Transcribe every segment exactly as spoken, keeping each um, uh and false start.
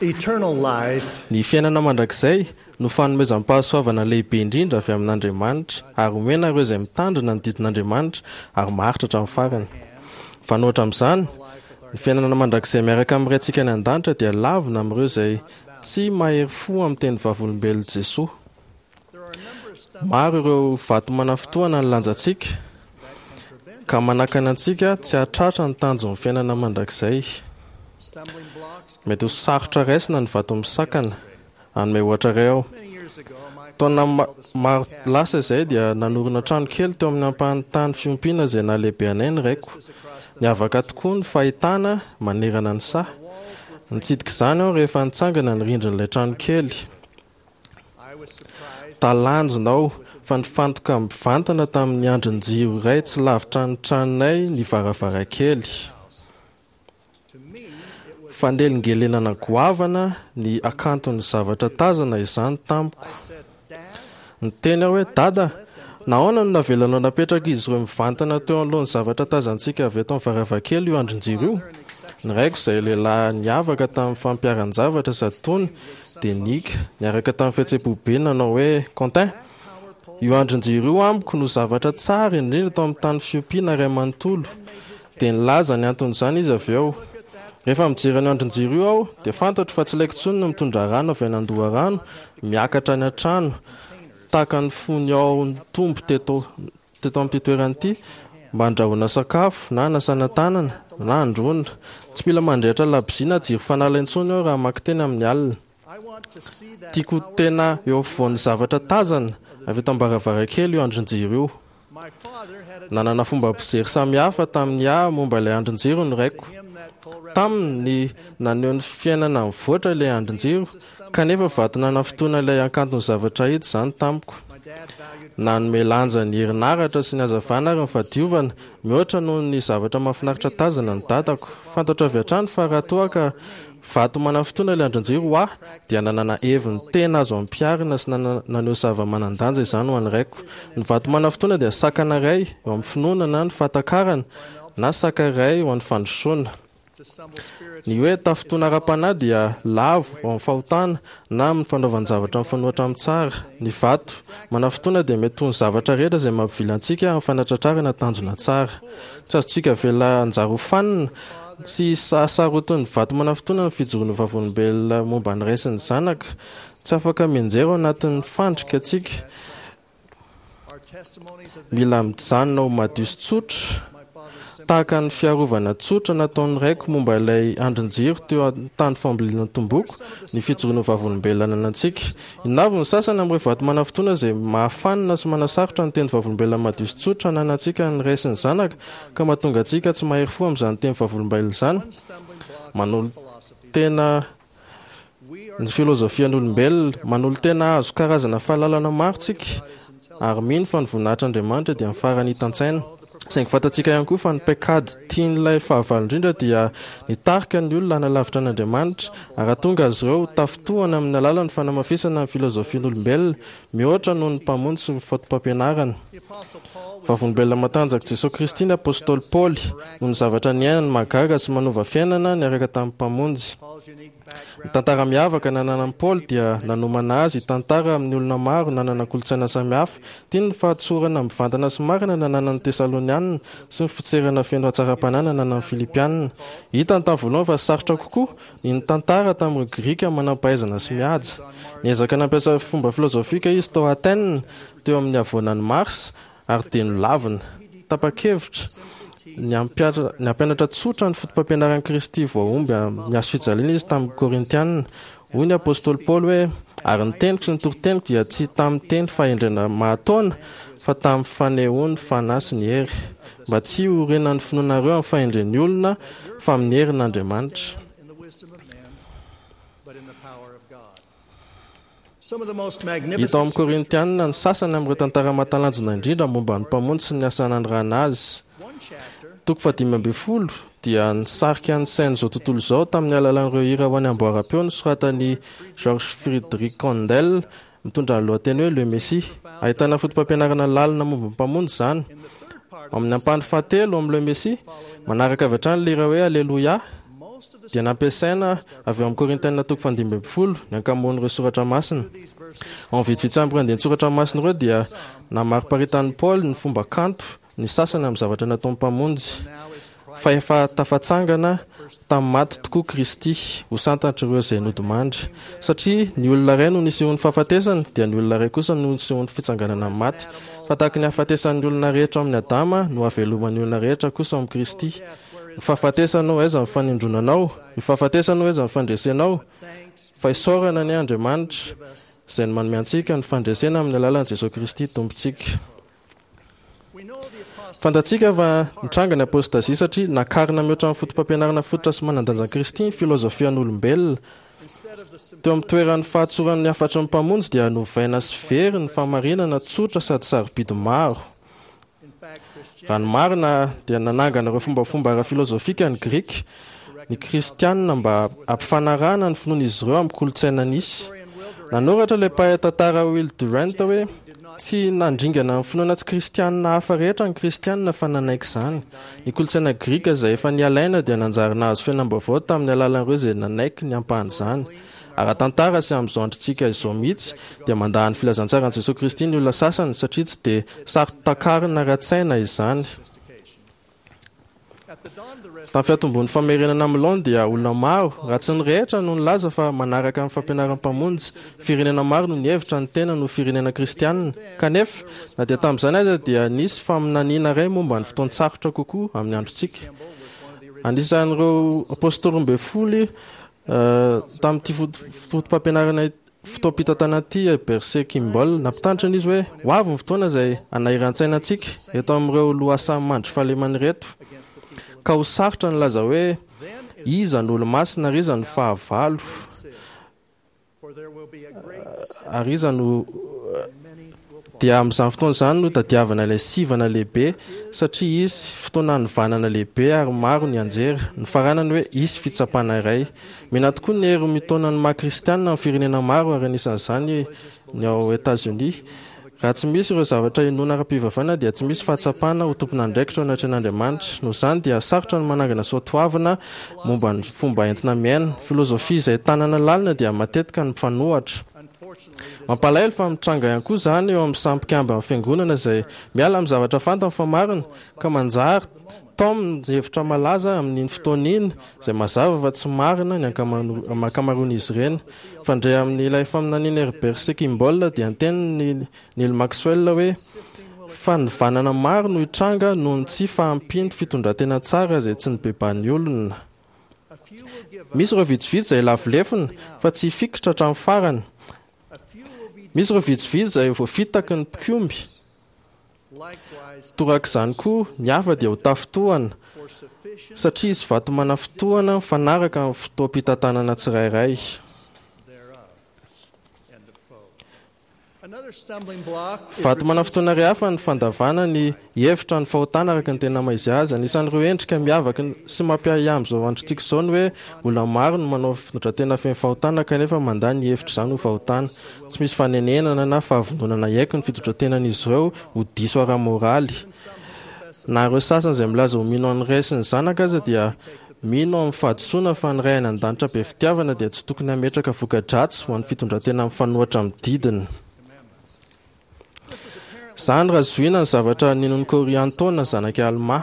Eternal life Ny fiainana mandrakizay no fanomezam-pahasoavana lehibe indrindra avy amin'Andriamanitra, ary omena ireo izay mitandrina ny didin'Andriamanitra ary maharitra hatramin'ny farany. Mifanohitra amin'izany, ny fiainana mandrakizay miaraka amin'ny Raintsika any an-danitra dia lavina amin'ireo izay tsy mahery fo amin'ny teny vavolombelon'i Jesoa. Maro ireo vato manafintohina ny lanjantsika ka manakana antsika tsy hahatratra ny tanjon'ny fiainana mandrakizay. stumbling blocks Mety ho sarotra raisina ny vato misakana. Hanome ohatra iray aho. many years ago my Taona ma- maro lasa izay dia nanorina trano kely teo amin'ny ampahan'ny tany fiompiana izay nahalehibe anay ny raiko. Niavaka tokoa ny fahitana manerana ny saha. Nitsidika izany aho rehefa nitsangana ny rindrin'ilay trano kely. I was surprised Talanjona aho fa nifantoka mivantana tamin'ny andrin-jiro iray tsy lavitra ny tranonay ny varavarankely. to me it was Fanelingelenana goavana ny hakanton'ny zavatra tazana izany tamiko. I said dad Niteny aho hoe dada, nahoana no navelanao napetraka izy ireo mivantana teo anoloan'ny zavatra tazantsika avy eto amin'ny varavarankely io andrin-jiro io? Ny raiko izay lehilahy niavaka tamin'ny fampiharan-javatra sady tony dia nihiaka niaraka tamin'ny fihetseham-po be nanao hoe Quentin, io andrin-jiro io amiko no zavatra tsara indrindra tao amin'ny tany fiompiana iray manontolo. Dia nilaza ny anton'izany izy avy eo. Rehefa mijery an'io andrin-jiro io aho dia fantatro fa tsy ilaiko intsony ny mitondra rano avy any an-doharano miakatra any an-trano tahaka ny fony ao nitombo teto teto amin'ity toerana ity mba handrahoana sakafo na hanasana tanana na handroana. Tsy mila mandrehitra labozia na jiro fanala intsony aho raha mamaky teny amin'ny alina. I want to see that Tiako ho tena eo afovoan'ny zavatra tazana avy eto am-baravarankely io andrin-jiro io. my father had a Nanana fomba fijery samihafa tamin'ny ahy momba ilay andrin-jiro ny raiko. him that pole Taminy ny naneho ny fiainana mivoatra ilay andrin-jiro, kanefa vato nanafintohina ilay hakanton'ny zavatra hita izany tamiko. my dad valued Nanome lanja ny herinaratra sy ny hazavana ary ny fahadiovana mihoatra noho ny zavatra mahafinaritra tazana ny dadako. Fantatro avy hatrany fa raha toa ka vato manafintohina ilay andrin-jiro ho ahy dia nanana heviny tena azo ampiharina sy nana- naneho zava-manan-danja izany ho an'ny raiko. Ny vato manafintohina dia sakana iray eo amin'ny finoana na ny fahatakarana na saka iray ho an'ny fandrosoana. to stumble spiritually Ny hoe tafintohina ara-panahy dia lavo ao amin'ny fahotana na amin'ny fanaovan-javatra mifanohitra amin'ny tsara. Ny vato manafintohina dia mety ho ny zavatra rehetra izay mampivily antsika amin'ny fanatratrarana tanjona tsara. Tsy azontsika avela hanjary ho fanina sy hasarotin'ny vato manafintohina ny fijoroana vavolombelona momba ny ray sy ny zanaka. Tsy afaka mianjera ao anatin'ny fandrika antsika. our testimonies of the Mila mijanona ho madio sy tsotra my father's simple tahaka ny fiarovana tsotra nataon'ny raiko momba ilay andrin-jiro teo an-tany fambolena tomboko ny fijoroana vavolombelona ananantsika. Inona avy ny sasany amin'ireo vato manafintohina izay mahafanina sy manasarotra ny teny vavolombelona madio sy tsotra ananantsika ny ray sy ny zanaka ka mahatonga antsika tsy mahery fo amin'izany teny vavolombelona izany? one stumbling block Manolo tena we are ny filozofian'olombelona, manolo-tena hahazo karazana fahalalana maro tsika ary mino fa ny voninahitr'Andriamanitra dia ny farany hitan-tsaina. Saingy fantatsika ihany koa fa ny paikady tian'ilay fahavalo indrindra dia nitarika ny olona hanalavitra an'Andriamanitra ary hahatonga azy ireo ho tafintohina amin'ny alalan'ny fanamafisana ny filozofian'olombelona mihoatra noho ny mpamonjy sy ny fotopampianarana. the apostle Paul was Vavolombelona matanjaka Jesosy Kristy ny apôstôly Paoly noho ny zavatra niainany mahagaga sy manova fiainana niaraka tamin'ny mpamonjy. Paul's unique Ny background tantara miavaka nananan'i Paoly dia nanomana azy hitantara amin'ny olona maro nanana kolontsaina samihafa. Tiany ny fahatsorana mivantana sy marina nananan'ny Tesalonianina sy ny fitserana feno hatsaram-panahy nananan'ny Filipianina. Hitany tamin'ny voalohany fa sarotra kokoa ny nitantara tamin'ireo Grika manam-pahaizana sy mihaja. Niezaka nampiasa fomba filozofika izy tao Athènes teo amin'ny havoanan'i Mars ary dia nolavina. Tapa-kevitra ny hampiatra- ny hampianatra tsotra ny fotopampianaran'i Kristy voahomby amin'ny hazo fijaliana izy tamin'ny Korintianina. Hoy ny apôstôly Paoly hoe ary ny teniko sy ny toriteniko dia tsy tamin'ny teny fahendrena mahataona fa tamin'ny fanehoan'ny fanahy sy ny hery mba tsy hiorenan'ny finoanareo amin'ny fahendren'ny olona fa amin'ny herin'Andriamanitra. in the wisdom of men but in the power of God some of the most magnificent Hita ao amin'ny Korintianina ny sasany amin'ireo tantara mahatalanjona indrindra momba ny mpamonjy sy ny asa nanirahana azy. one chapter Toko fahadimy ambin'ny folo dia nisarika ny sain'izao tontolo izao tamin'ny alalan'ireo hira ho an'ny amboaram-peo nosoratan'i Georges Friedrich Handel mitondra ny lohateny hoe Le Messie. Ahitana fotopampianarana lalina momba ny mpamonjy izany. in the third part Amin'ny ampahany fahatelo amin'ny Le Messie, manaraka avy hatrany ilay hira hoe Alleluia dia nampiasaina avy eo amin'ny Korintiana toko fahadimy ambin'ny folo ny ankamaroan'ireo soratra masina. Ao amin'ny vitsivitsy amin'ireo andian-tsoratra masina ireo dia namariparitan'i Paoly ny fomba kanto ny sasany amin'ny zavatra nataon'ny Mpamonjy, fa efa tafatsangana tamin'ny maty tokoa Kristy ho santatr'ireo izay nodimandry. Satria ny olona iray no nisehoan'ny fahafatesana, dia ny olona iray kosa no nisehoan'ny fitsanganana amin'ny maty. Fa tahaka ny hahafatesan'ny olona rehetra ao amin'i Adama no hahaveloman'ny olona rehetra kosa ao amin'i Kristy. Ny fahafatesana ô, aiza ny fanindronanao? Ny fahafatesana ô, aiza ny fandresenao? Fa isaorana anie Andriamanitra, izay manome antsika ny fandresena amin'ny alalan'i Jesoa Kristy Tompontsika. Fantatsika fa nitranga ny apôstazia satria nakarina mihoatra ny fotopampianarana fototra sy manan-danjan'i Kristy ny filôzôfian'olombelona. Teo amin'ny toeran'ny fahatsoran'ny hafatry ny Mpamonjy dia novaina sy very ny fahamarinana tsotra sady sarobidy maro. Raha ny marina dia nanangana ireo fombafomba ara-filôzôfika ny Grika, ny Kristianina mba hampifanarahana ny finoan'izy ireo amin'ny kolontsaina nisy. Nanoratra ilay mpahay tantara Will Durant hoe, Tsy nandringana ny finoana tsy kristianina hafa rehetra ny Kristianina fa nanaiky izany. Ny kolontsaina grika izay efa nialaina dia nanjary nahazo fiainam-baovao tamin'ny alalan'ireo izay nanaiky ny ampahan'izany. Ara-tantara sy amin'izao androntsika izao mihitsy dia mandà ny filazantsaran'i Jesoa Kristy ny olona sasany satria tsy dia saro-takarina ara-tsaina izany. Tamin'ny fiantombohan'ny famerenana amin'ny laoniny dia olona maro, raha tsy ny rehetra, no nilaza fa manaraka ny fampianaran'ny Mpamonjy. Firenena maro no nihevitra ny tenany ho firenena kristianina. Kanefa, na dia tamin'izany aza dia nisy faminaniana iray momba ny fotoan-tsarotra kokoa amin'ny androntsika. Anisan'ireo apostoly roa ambin'ny folo tamin'ity foto-pampianarana fotoam-pitantanana ity i Bercé Kimball. Nampitandrina izy hoe ho avy ny fotoana izay hanahiran-tsaina antsika eto amin'ireo lohasaha mandry fahalemana ireto, ka ho sarotra ny hilaza hoe iza no olo-masina ary iza no fahavalo, ary iza no Dia amin'izany fotoana izany no tadiavana ilay sivana lehibe satria hisy fotoana hanovanana lehibe ary maro ny anjera. Nifaranany hoe hisy fitsapana iray. Mihena tokoa ny hery mitaona ny maha kristianina amin'ny firenena maro ary anisan'izany ny ao Etazonia. Raha tsy misy ireo zavatra inoana ara-pivavahana dia tsy misy fahatsapana ho tompon'andraikitra eo anatrehan'Andriamanitra. Noho izany dia sarotra ny manangana soatoavina momba ny fomba entina miaina. Filozofia izay tanana lalina dia matetika ny mifanohatra. Mampalahelo fa mitranga ihany koa izany eo amin'ny samy mpikamban'ny fiangonana izay miala amin'ny zavatra fantany fa marina ka manjary taominy ny hevitra malaza amin'iny fotoana iny izay mazava fa tsy marina ny ankamaroan'izy ireny. Fandre amin'ilay faminanian'i Herbert C. Kimball dia niteny Neil Maxwell hoe fanivanana maro no hitranga noho ny tsy fahampian'ny fitondran-tena tsara izay tsy nibebahan'ny olona. Misy ireo vitsivitsy izay lavo lefona fa tsy hifikitra hatramin'ny farany. Misy ireo vitsivitsy izay voafitaky ny mpikomy. Torak'izany koa, ny hafa dia ho tafintohana, satria hisy vato manafintohana mifanaraka amin'ny fotoam-pitantanana tsirairay. Vato manafintohina iray hafa ny fandavana ny hihevitra ny fahotana araka ny tena maha-izy azy. Anisan'ireo endrika miavaka sy mampiahiahy amin'izao androntsika izao ny hoe olona maro no manao fitondran-tena feno fahotana kanefa mandà ny hihevitra izany ho fahotana. Tsy misy fanenenana na fahavononana hiaiky ny fitondran-tenan'izy ireo ho diso ara-moraly. Na ireo sasany izay milaza ho mino an'ny Ray sy ny Zanaka aza dia Mino amin'ny fahadisoana fa ny Ray any An-danitra be fitiavana dia tsy tokony hametraka voka-dratsy ho an'ny fitondran-tena mifanohitra amin'ny didiny. Izany raha zohiana ny zavatra ninoan'i Kôriantôna zanak'i Almà.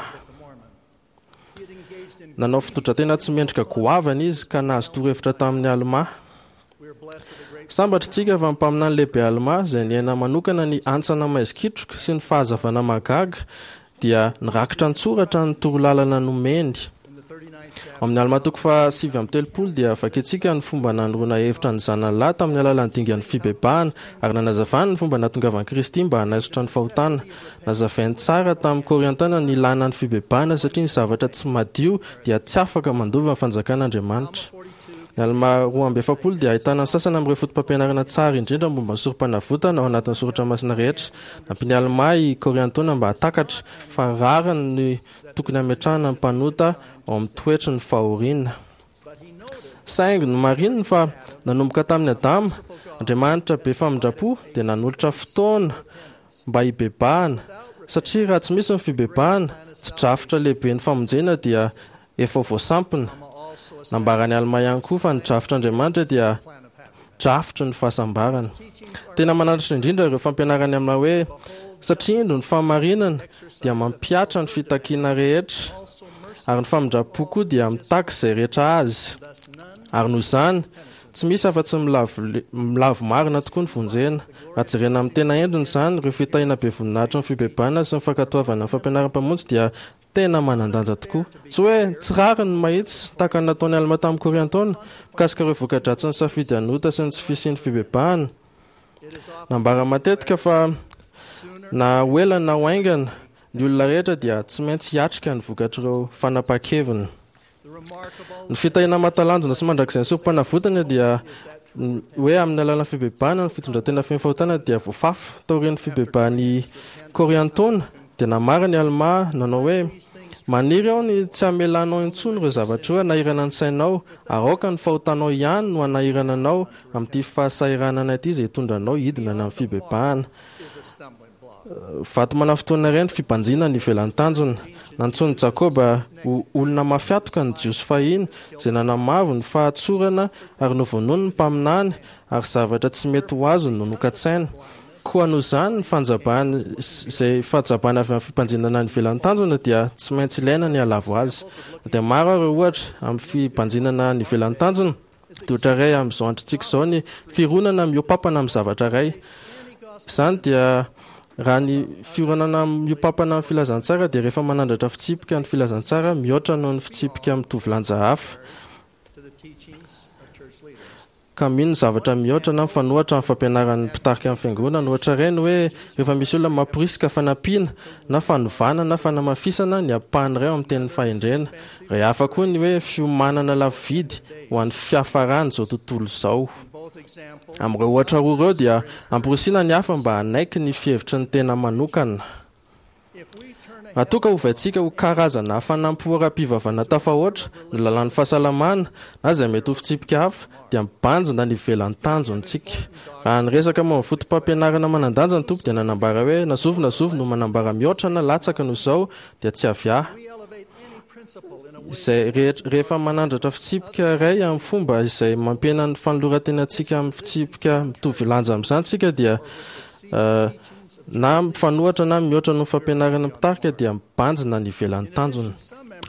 Nanao fitondran-tena tsy mendrika goavana izy ka nahazo torohevitra tamin'i Almà. Sambatra isika fa ny mpaminany lehibe Almà, izay niaina manokana ny hantsana maizikitroka sy ny fahazavana mahagaga, dia nirakitra an-tsoratra ny torolalana nomeny. Ao amin'ny Almà toko fahasivy amby telopolo dia vakintsika ny fomba nanoroana hevitra ny zanany lahy tamin'ny alalan'ny dingan'ny fibebahana ary nanazavany ny fomba nahatongavan'i Kristy mba hanaisotra ny fahotana. Nazavainy tsara tamin'ny Kôriantana ny ilàna ny fibebahana satria ny zavatra tsy madio dia tsy afaka mandova ny fanjakan'Andriamanitra. Ny Almà roa amby efapolo dia ahitana ny sasany amin'ireo fotopampianarana tsara indrindra momba ny Sorompanavotana ao anatin'ny soratra masina rehetra. Nampian'i Almà i Kôriantôna mba hahatakatra fa rariny ny tokony hametrahana ny mpanota ao amin'ny toetry ny fahoriana. Saingy nomarininy fa nanomboka tamin'i Adama, Andriamanitra be famindram-po dia nanolotra fotoana mba hibebahana, satria raha tsy misy ny fibebahana, tsy drafitra lehiben'ny famonjena dia efa voasampina. Nambaran'i Alma ihany koa fa ny drafitr'Andriamanitra dia drafitry ny fahasambarana. Tena mananatra indrindra ireo fampianarany amina hoe satria indro ny fahamarinana dia mampihatra ny fitakiana rehetra ary ny famindram-po koa dia mitaky izay rehetra azy. Ary noho izany, tsy misy afa-tsy milavo marina tokoa ny vonjena. Raha jerena amin'ny tena endriny izany, ireo fitahiana be voninahitry ny fibebahana sy ny fankatoavana ny fampianaran'ny Mpamonjy dia tena manan-danja tokoa. Tsy hoe tsy rariny ny mahitsy tahaka ny nataon'i Alma tamin'ny Koriantona mikasika ireo voka-dratsin'ny safidy hanota sy ny tsy fisian'ny fibebahana. Nambara matetika fa na ho ela na ho haingana, ny olona rehetra dia tsy maintsy hiatrika ny vokatr'ireo fanapahan-keviny. Ny fitahiana mahatalanjona sy mandrakizay ny sorom-panavotana dia hoe amin'ny alalan'ny fibebahana ny fitondran-tena feno fahotana dia voafafa. Taorian'ny fibebahan'i Koriantona dia nambarany Alma nanao hoe maniry aho ny tsy hamelanao intsony ireo zavatra ireo hanahirana ny sainao, ary aoka ny fahotanao ihany no hanahirana anao amin'ity fahasahiranana ity izay hitondra anao hidina any amin'ny fibebahana. Vato manafintohina iray ny fibanjina ny ivelan'ny tanjona. Nantsoin'i Jakoba ho olona mafy hatoka ny Jiosy fahiny izay nanamavo ny fahatsorana ary novonoiny ny mpaminany ary zavatra tsy mety ho azony no nokatsaina. Koa noho izany ny fanjabana izay fahajabana avy amin'ny fibanjinana ny ivelan'ny tanjona dia tsy maintsy ilaina ny halavo azy. Dia maro ireo ohatra amin'ny fibanjinana ny ivelan'ny tanjona. Dia ohatra iray amin'izao androntsika izao ny fironana mihoa-pampana amin'ny zavatra iray. Izany dia raha ny fironana mihoa-pampana amin'ny filazantsara dia rehefa manandratra fitsipika ny filazantsara mihoatra noho ny fitsipika mitovy lanja hafa, ka mino ny zavatra mihoatra na mifanohitra amin'ny fampianaran'ny mpitarika ny fiangonana. Ohatra iray ny hoe rehefa misy olona mamporisika fanampiana na fanovana na fanamafisana ny ampahany iray ao amin'ny tenin'ny fahendrena. Iray hafa koa ny hoe fiomanana lafo vidy ho an'ny fiafaran'izao tontolo izao. Amin'ireo ohatra roa ireo dia amporisihina ny hafa mba hanaiky ny fihevitry ny tena manokana. Raha toa ka ovaintsika ho karazana hafanam-po ara-pivavahana tafahoatra ny lalàn'ny fahasalamana na izay mety ho fitsipika hafa, dia mibanjina ny ivelan'ny tanjontsika. Raha niresaka momba ny fotopampianarana manan-danja ny Tompo dia nanambara hoe na zovy na zovy no manambara mihoatra na latsaka noho izao dia tsy avy ahy. Izay rehetra, rehefa manandratra fitsipika iray amin'ny fomba izay mampihena ny fanoloran-tenantsika amin'ny fitsipika mitovy lanja amin'izany isika dia uh, na mifanohitra na mihoatra noho ny fampianarana mpitarika dia mibanjina ny ivelan'ny tanjona.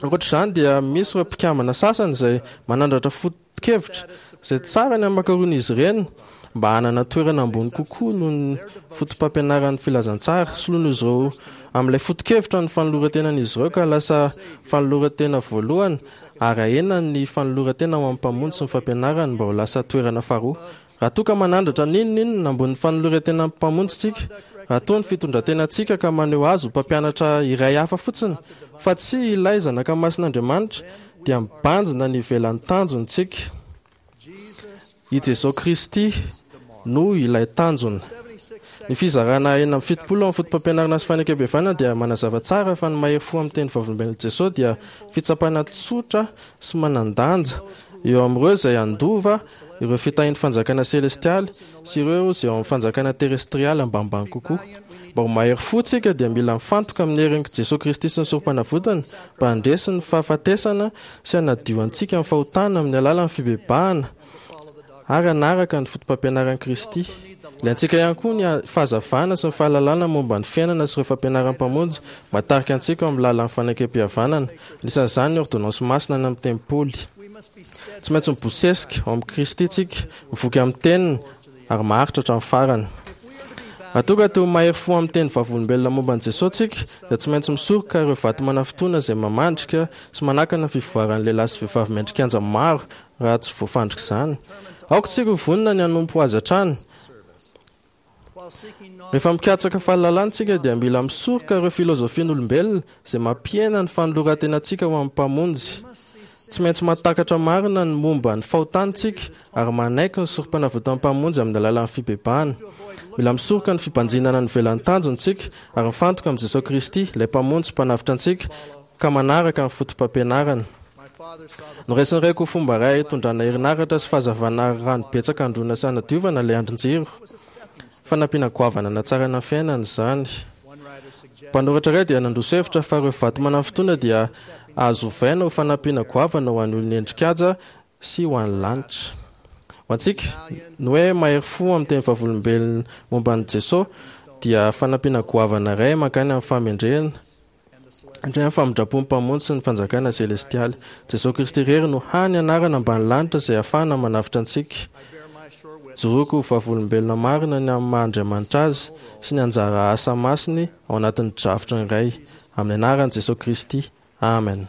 Ankoatra izany dia misy ireo mpikambana sasany izay manandratra foto-kevitra izay tsara ny hamakiroan'izy ireny mba hanana toerana ambony kokoa noho ny fotopampianaran'ny filazantsara. Soloin'izy ireo amin'ilay foto-kevitra ny fanoloran-tenan'izy ireo ka lasa fanoloran-tena voalohany ary ahena ny fanoloran-tena ho amin'ny Mpamonjy sy ny fampianarany mba ho lasa toerana faharoa. Raha toa ka manandratra n'inon'inona ambonin'ny fanoloran-tena amin'ny Mpamonjy tsika, raha toa ny fitondran-tenantsika ka maneho azy ho mpampianatra iray hafa fotsiny fa tsy ilay zanaka masin'Andriamanitra, dia mibanjina ny ivelan'ny tanjontsika. I Jesosy Kristy no ilay tanjona. Ny fizarana enina amby fitopolo amin'ny fotopampianarana sy fanekem-pihavanana dia manazava tsara fa ny mahery fo amin'ny teny vavolombelon'i Jesosy dia fitsapana tsotra sy manan-danja eo amin'ireo izay handova ireo fitahian'ny fanjakana selestialy sy ireo izay ao amin'ny fanjakana terestrialy ambanimbany kokoa. Mba ho mahery fo tsika dia mila mifantoka amin'ny herin'i Jesosy Kristy sy ny sorom-panavotany mba handresy ny fahafatesana sy hanadio antsika amin'ny fahotana amin'ny alalan'ny fibebahana ary hanaraka ny fotopampianaran'i Kristy. Ilaintsika ihany koa ny fahazavana sy ny fahalalana momba ny fiainana sy ireo fampianaran'ny Mpamonjy mba hitarika antsika ao amin'ny lalan'ny fanekem-pihavanana, anisan'izany ny ôrdônansy masina any amin'ny tempoly. Tsy maintsy mibosesika ao amin'i Kristy tsika, mivoky amin'ny teniny ary maharitra hatramin'ny farany. Raha toa ka te ho mahery fo amin'ny teny vavolombelona momba an'i Jesosy tsika, dia tsy maintsy misoroka ireo vato manafintohina izay mamandrika sy manakana ny fivoaran'ny lehilahy sy vehivavy mendrikanja maro raha tsy voafandrika izany. Aoka tsika ho vonona ny hanompo azy hatrany. Rehefa mikatsaka fahalalana tsika dia mila misoroka ireo filozofian'olombelona izay mampihena ny fanoloran-tenantsika ho amin'ny Mpamonjy. Tsy maintsy mahatakatra marina ny momba ny fahotana tsika ary manaiky ny sorom-panavotan'ny Mpamonjy amin'ny alalan'ny fibebahana. Mila misoroka ny fibanjinana ny ivelan'ny tanjona tsika ary mifantoka amin'i Jesosy Kristy, ilay Mpamonjy sy Mpanavotra antsika, ka manaraka ny fotopampianarana. Noraisin'ny raiko ho fomba iray hitondrana herinaratra sy fahazavana ary rano betsaka handroana sy hanadiovana ilay andrin-jiro. Fanampiana goavana hanatsarana ny fiainana izany. Mpanoratra iray dia nandroso hevitra fa ireo vato manafintohina dia Azo ovaina ho fanampiana goavana ho an'ny olona endri-kaja sy ho an'ny lanitra. Ho antsika, ny hoe mahery fo amin'ny teny vavolombelona momba an'i Jesosy dia fanampiana goavana iray mankany amin'ny fahamendrehana indray amin'ny famindram-pon'ny Mpamonjy sy ny fanjakana selestialy. Jesosy Kristy irery no hany anarana ambany lanitra izay ahafahana manavotra antsika. Ijoroako ho vavolombelona marina ny amin'ny maha-Andriamanitra Azy sy ny anjara asa masiny ao anatin'ny drafitry ny Ray. Amin'ny anaran'i Jesosy Kristy. Amen.